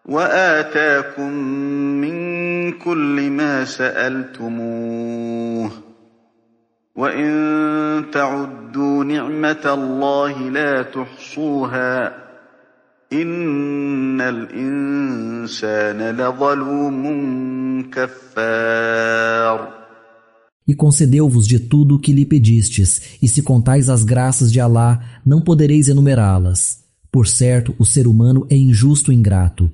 وآتاكم من كل ما سألتموه وإن تعدوا نعمة الله لا تحصوها إن الإنسان لظلوم كفار. E concedeu-vos de tudo o que lhe pedistes, e se contais as graças de Alá, não podereis enumerá-las. Por certo, o ser humano é injusto e ingrato.